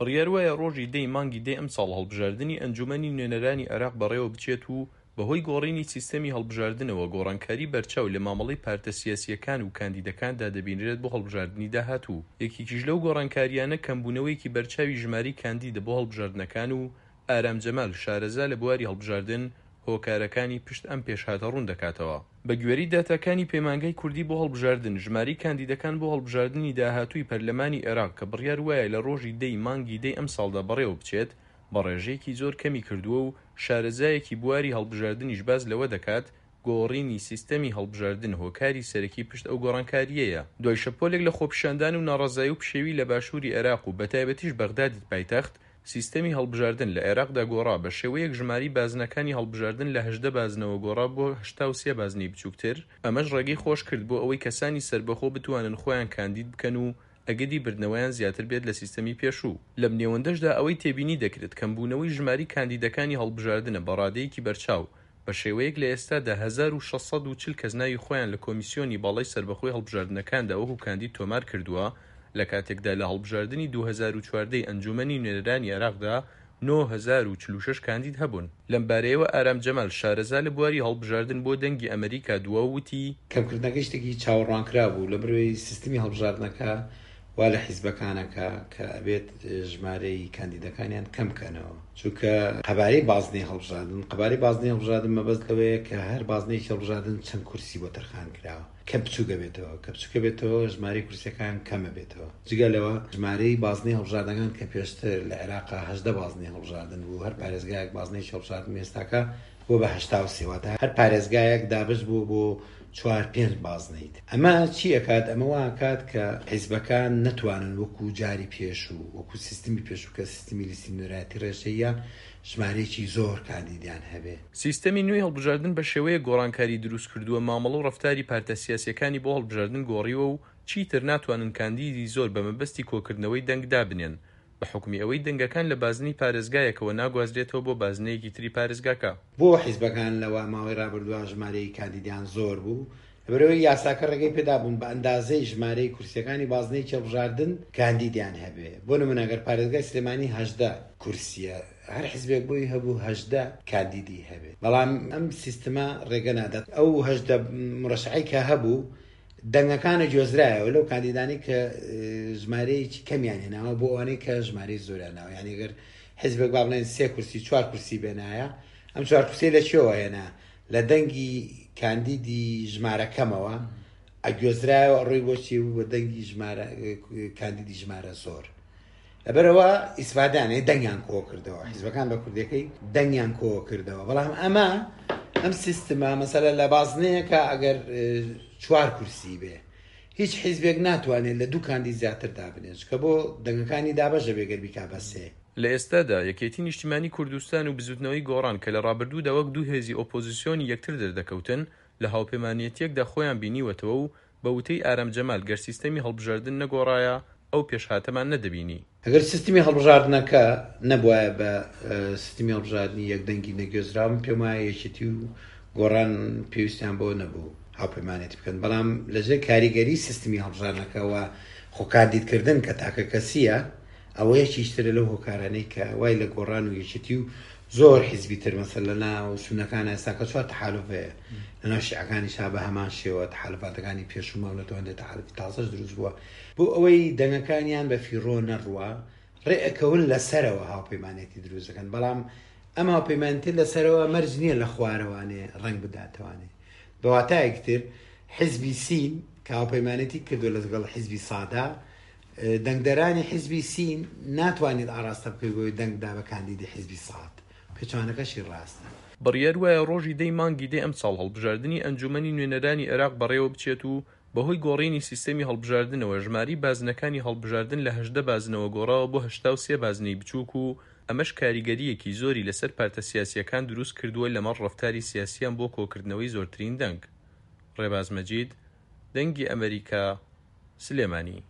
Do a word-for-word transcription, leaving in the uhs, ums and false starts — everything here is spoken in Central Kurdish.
بڕیار وایە ڕۆژی دە ی مانگی دەی ئەمساڵ هەڵبژاردنی ئەنجومەنی نوێنەرانی عێراق بەڕێوەبچێت و بەهۆی گۆڕینی سیستەمی هەڵبژاردنەوە گۆڕانکاری بەرچاو لە مامەڵەی پارتە سیاسییەکان و کاندیدەکاندا دەبینرێت بۆ هەڵبژاردنی داهاتوو. یەکێکیش لەو گۆڕانکارییانە کەمبوونەوەیەکی بەرچاوی ژمارەی کاندیدە بۆ هەڵبژاردنەکان و ئارام جەمال شارەزا لە بواری هەڵبژاردن هۆکارەکانی پشت ئەم پێشهاتە ڕوون دەکاتەوە. بەگوێرەی داتاکانی پەیمانگای کوردی بۆ هەڵبژاردن، ژمارەی کاندیدەکان بۆ هەڵبژاردنی داهاتووی پەرلەمانی عێراق کە بڕیار وایە لە ڕۆژی دە ی مانگی دەی ئەمساڵدا بەڕێوەبچێت بە ڕێژەیەکی زۆر کەمی کردووە و شارەزایەکی بواری هەڵبژاردنیش باس لەوە دەکات گۆڕینی سیستەمی هەڵبژاردن هۆکاری سەرەکی پشت ئەو گۆڕانکارییەیە. دوای شەپۆلێک لە خۆپیشاندان و ناڕەزایی و پشێوی لە باشووری عێراق و بەتایبەتیش بەغدادی پایتەخت، سیستەمی هەڵبژاردن لە عێراقدا گۆڕا بە شێوەیەک ژمارەی بازنەکانی هەڵبژاردن لە هەژدە بازنەوە گۆڕا بۆ هەشتا و سێ بازنەی بچووکتر، ئەمەش ڕێگەی خۆشکرد بۆ ئەوەی کەسانی سەربەخۆ بتوانن خۆیان کاندید بکەن و ئەگەری بردنەوەیان زیاتر بێت لە سیستەمی پێشوو. لەم نێوەندەشدا ئەوەی تێبینی دەکرێت کەمبوونەوەی ژمارەی کاندیدەکانی هەڵبژاردنە بە ڕادەیەکی بەرچاو، بە شێوەیەک لە ئێستادا هەزار و شەش سەد و چل کەس ناوی خۆیان لە کۆمیسیۆنی باڵای سەربەخۆی هەڵبژاردنەکاندا وەکو کاندید تۆمار کردووە لە کاتێکدا لە هەڵبژاردنی دوو هەزار و چواردە ی ئەنجومەنی نوێنەرانی عێراقدا نۆ هەزار و چل و شەش کاندید هەبوون. لەمبارەیەوە ئارام جەمال شارەزا لە بواری هەڵبژاردن بۆ دەنگی ئەمەریکا دوا و وتی، کەمکردنەکەی شتێکی چاوەڕوانکراو بوو لەبەرئەوەی سیستمی هەڵبژاردنەکە وا لە حیزبەکان ئەکا کە ئەبێت ژمارەی کاندیدەکانیان کەم بکەنەوە چونکە قەبارەی بازنەی هەڵبژاردن قەبارەی بازنەی هەڵبژاردن مەبەست لەوەیە کە هەر بازنەیەکی هەڵبژاردن چەند کورسی بۆ تەرخان کراوە کە بچووک ئەبێتەوە کە بچووک ئەبێتەوە ژمارەی کورسیەکان کەم ئەبێتەوە جگە لەوە ژمارەی بازنەی هەڵبژاردنەکان کە پێشتر لە عێراقا هەژدە بازنەی هەڵبژاردن بوو هەر پارێزگایەک بازنەیەکی هەڵبژاردن ئێستاکە بووە بە هەشتا و سێ واتە هەر پارێزگایەک دابەش بووە بۆ چوار پێنج بازنەی تر ئەمە چی ئەکات ئەمە وا ئەکات کە حیزبەکان نەتوانن وەکو جاری پێشوو وەکو سیستمی پێشوو کە سیستمی لیستی نوێنەرایەتی ڕێژەییە ژمارەیەکی زۆر کاندیدیان هەبێ. سیستەمی نوێی هەڵبژاردن بە شێوەیەک گۆڕانکاری دروستکردووە مامەڵە و ڕەفتاری پارتە سیاسییەکانی بۆ هەڵبژاردن گۆڕیوە و چیتر ناتوانن کاندیدی زۆر بە مەبەستی کۆکردنەوەی دەنگ دابنێن بە حوکمی ئەوەی دەنگەکان لە بازنەی پارێزگایەکەوە ناگوازرێتەوە بۆ بازنەیەکی تری پارێزگاکە. بۆ حیزبەکان لە ماوەی ڕابردووە ژمارەی کاندیدیان زۆر بوو لەبەرئەوەی یاساکە ڕێگەی پێدابوون بە ئەندازەی ژمارەی کورسیەکانی بازنەیەکی هەڵبژاردن کاندیدیان هەبێ بۆ نمونە گەر پارێزگای سلێمانی هەژدە کورسیە هەر حیزبێک بۆی هەبوو هەژدە کاندیدی هەبێ بەڵام ئەم سیستمە ڕێگە نادات ئەو هەژدە مرەشحەی کە هەبوو دەنگەکانە گوێزرایەوە لەو کاندیدانەی کە ژمارەیەکی کەمیان هێناوە بۆ ئەوانەی کە ژمارەی زۆریان ناوە یعنی گەر حیزبێک با بڵێن سێ کورسی چوار کورسی بێنایە ئەم چوار کورسی لە کوێوە هێنا لە دەنگی کاندیدی ژمارە کەمەوە ئەگوێزرایەوە ڕووی بۆچی بوو بە دەنگی ژمارە کاندیدی ژمارە زۆر لەبەرەوە ئیسفادانێ دەنگیان کۆ کردەوە حیزبەکان بە کوردیەکەی دەنگیان کۆ کردەوە بەڵام ئەمە ئەم سیستمە مەسەلە لە بازنەیەکە ئەگەر چوار کورسی بێ هیچ حیزبێک ناتوانێت لە دوو کاندید زیاتر دابنێت چونکە بۆ دەنگەکانی دابەش دەبێت گەر بیکا بە سێ. لە ئێستادا یەکێتی نیشتیمانی کوردستان و بزوتنەوەی گۆڕان کە لە ڕابردوودا وەک دوو هێزی ئۆپۆزسیۆنی یەکتر دەردەکەوتن لە هاوپەیمانێتیەکدا خۆیان بینیوەتەوە و بە وتەی ئارام جەمال گەر سیستەمی هەڵبژاردن نەگۆڕایە ئەو پێشهاتەمان نەدەبینی. ئەگەر سیستمی هەڵبژاردنەکە نەبوایە بە سیستمی هەڵبژاردنی یەک دەنگی نەگوێزراو من پێم وایە یەکێتی و گۆڕان پێویستیان بەوە نەبوو هاوپەیمانێتی بکەن بەڵام لەژێر کاریگەری سیستمی هەڵبژاردنەکە و خۆکاندیدکردن کە تاکەکەسییە ئەوە یەکیش ترە لەو هۆکارانەی کە وای لە گۆڕان و یەکێتی و زۆر حیزبی تر مەسەل لە ناو سونەکان ئێستا کە چوار تەحالوف هەیە لە ناو شیعەکانیشا بە هەمان شێوە تەحالوفاتەکانی پێشوو ماونەتەوە هەندێک تەحالوفی تازەش دروست بووە بۆ ئەوەی دەنگەکانیان بە فیڕۆ نەڕوا ڕێ ئەکەون لەسەرەوە هاوپەیمانێتی دروست دەکەن بەڵام ئەم هاوپەیمانێتی لەسەرەوە مەرج نییە لە خوارەوانێ ڕەنگ بداتەوانێ بە واتایەکی تر حیزبی سین کە هاوپەیمانێتی کردووە لەگەڵ حیزبی سادا دەنگدەرانی حیزبی سین ناتوانیت ئاراستە بکەیت بۆی دەنگ دا بە کاندیدی حیزبی ساد پێچەوانەکەشی ڕاستە. بڕیار وایە ڕۆژی دە ی مانگی دەی ئەمساڵ هەڵبژاردنی ئەنجومەنی نوێنەرانی عێراق بەڕێوەبچێت و بەهۆی گۆڕینی سیستەمی هەڵبژاردنەوە ژمارەی بازنەکانی هەڵبژاردن لە هەژدە بازنەوە گۆڕاوە بۆ هەشتا و سێ بازنەی بچووک و ئەمەش کاریگەرییەکی زۆری لەسەر پارتە سیاسییەکان دروستکردووە لەمەڕ ڕەفتاری سیاسییان بۆ کۆکردنەوەی زۆرترین دەنگ. ڕێباز مەجید، دەنگی ئەمەریکا، سلێمانی.